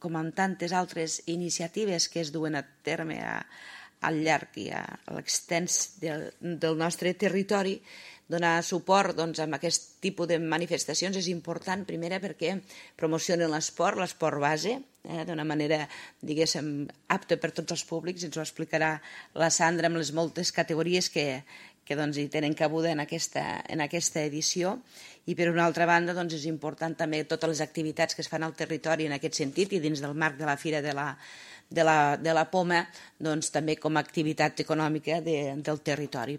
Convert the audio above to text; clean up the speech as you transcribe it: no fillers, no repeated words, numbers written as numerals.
com en tantes altres iniciatives que es duen a terme al llarg i a l'extens del nostre territori, donar suport a aquest tipus de manifestacions és important, primera, perquè promocionen l'esport base, d'una manera, diguéssim, apta per tots els públics, ens ho explicarà la Sandra amb les moltes categories que hi tenen cabuda en aquesta edició, i per una altra banda és important també totes les activitats que es fan al territori en aquest sentit i dins del marc de la Fira de la Poma també com a activitat econòmica del territori.